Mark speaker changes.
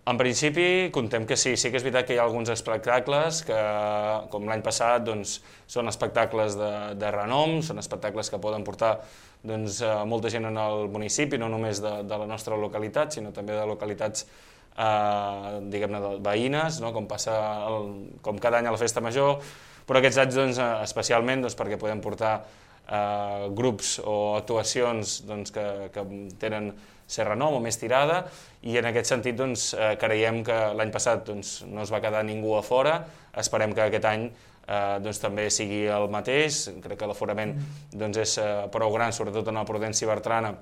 Speaker 1: En principi, contem que sí. Sí que és veritat que hi ha alguns espectacles que, com l'any passat, doncs, són espectacles de renom, són espectacles que poden portar molta gent en el municipi, no només de la nostra localitat, sinó també de localitats diguem-ne veïnes, no? Com cada any a la Festa Major, però aquests anys especialment perquè podem portar grups o actuacions que tenen ser renom o més tirada, i en aquest sentit creiem que l'any passat no es va quedar ningú a fora. Esperem que aquest any també sigui el mateix. Crec que l'aforament és prou gran, sobretot en el Prudenci Bertrana,